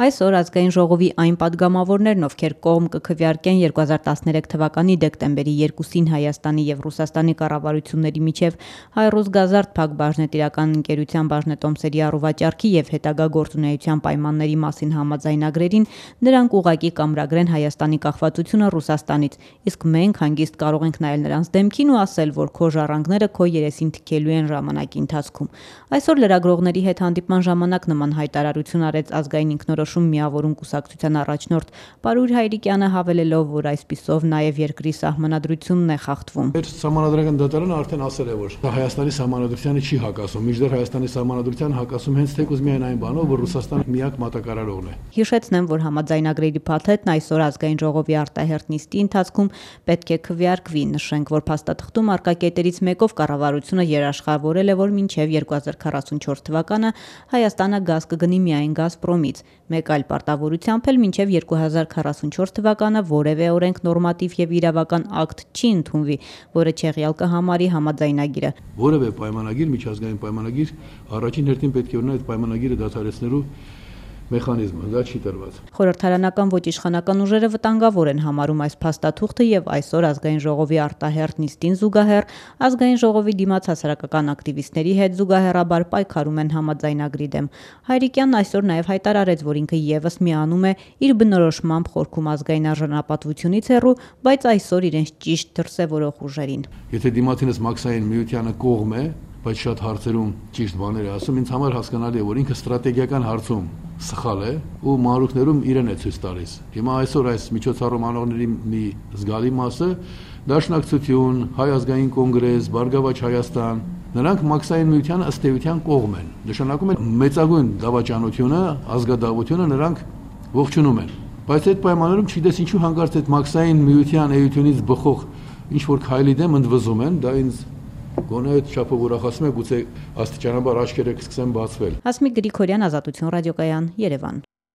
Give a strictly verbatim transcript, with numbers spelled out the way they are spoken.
Այսօր ազգային ժողովի այն պատգամավորներն, ովքեր կողմ կքվեարկեն երկու հազար տասներեք թվականի դեկտեմբերի երկուսին Հայաստանի եւ Ռուսաստանի կառավարությունների միջև Հայ-Ռուսգազարդ Փակ բաժնետիրական ընկերության բաժնետոմսերի առուվաճառքի եւ հետագա գործունեության պայմանների մասին համաձայնագրերին, նրանք ուղղակի կամրագրեն Հայաստանի կախվածությունը Ռուսաստանից, իսկ մենք հանգիստ կարող ենք նայել նրանց դեմքին ու ասել, որ քո ժառանգները քո երեսին թքելու են ժամանակի ընթացքում։ Այսօր լրագրողների հետ հանդիպման ժամանակ նման հայտարարություն արեց ազգային ինքնորոշում միավորում կուսակցության առաջնորդ Պարույր Հայրիկյանը, հավելելով, որ այսպիսով նաև երկրի սահմանադրությունն է խախտվում։ Մեր սահմանադրական դատարանը արդեն ասել է, որ Հայաստանի սահմանադրությանը չի հակասում, մինչդեռ Հայաստանի սահմանադրությանը հակասում հենց թեկուզ միայն այն բանով, որ Ռուսաստանը միակ մատակարարողն է։ Հիշեցնեմ, որ համաձայնագրերի փաթեթն այսօր ազգային ժողովի արտահերթ նիստի ընթացքում պետք է քվեարկվի։ Նշենք, որ փաստաթղթում առկա կետերից մեկով կառավարությունը երաշխավորել է, որ մինչև երկու հազար քառասունչորս թվականը Հայաստանը գազ կգնի միայն Գազպրոմից։ Մեկ այլ պարտավորությամբ էլ մինչև երկու հազար քառասունչորս թվականը որևէ օրենք, նորմատիվ եւ իրավական ակտ չի ընդունվի, որը չեղյալ կհամարի համաձայնագիրը։ Որևէ պայմանագիր, միջազգային պայմանագիր, առաջին հերթին պետք է ունենա այդ պայմանագիրը դադարեցնելու մեխանիզմը, դա չի տրված։ Խորհրդարանական ոչ իշխանական ուժերը վտանգավոր են համարում այս փաստաթուղթը եւ այսօր ազգային ժողովի արտահերթ նիստին զուգահեռ ազգային ժողովի դիմաց հասարակական ակտիվիստների հետ զուգահեռաբար պայքարում են համաձայնագրի դեմ։ Հայրիկյանն այսօր նաեւ հայտարարեց, որ ինքը եւս միանում է իր բնորոշմամբ խորքում ազգային արժանապատվությունից հեռու, բայց այսօր իրենց ճիշտ դրսևորող ուժերին։ Եթե դիմացինս Մաքսային միությանը կողմ է, բայց շատ հարցերում ճիշտ բաներ է ասում, ինձ համար հասկանալի է, որ ինքը ստրատեգիական հարցում սխալ է ու մանրուքներում իրեն է ցույց տալիս։ Հիմա այսօր այս միջոցառում անողների մի զգալի մասը Դաշնակցություն, Հայ ազգային կոնգրես, Բարգավաճ Հայաստան, նրանք Մաքսային միությանը ըստ էության կողմ են։ Նշանակում է մեծագույն դավաճանությունը, ազգադավությունը նրանք ողջունում են։ Բայց այդ պայմաններում չգիտես ինչու հանկարծ այդ Մաքսային միության էությունից բխող ինչ որ քայլի դեմ ընդվզում են, դա ինձ գոնե այդ չափով ուրախացնում է, գուցե աստիճանաբար աչքերը կսկսեն բացվել։ Հասմիկ Գրիգորյան, Ազատություն ռադիոկայան, Երևան։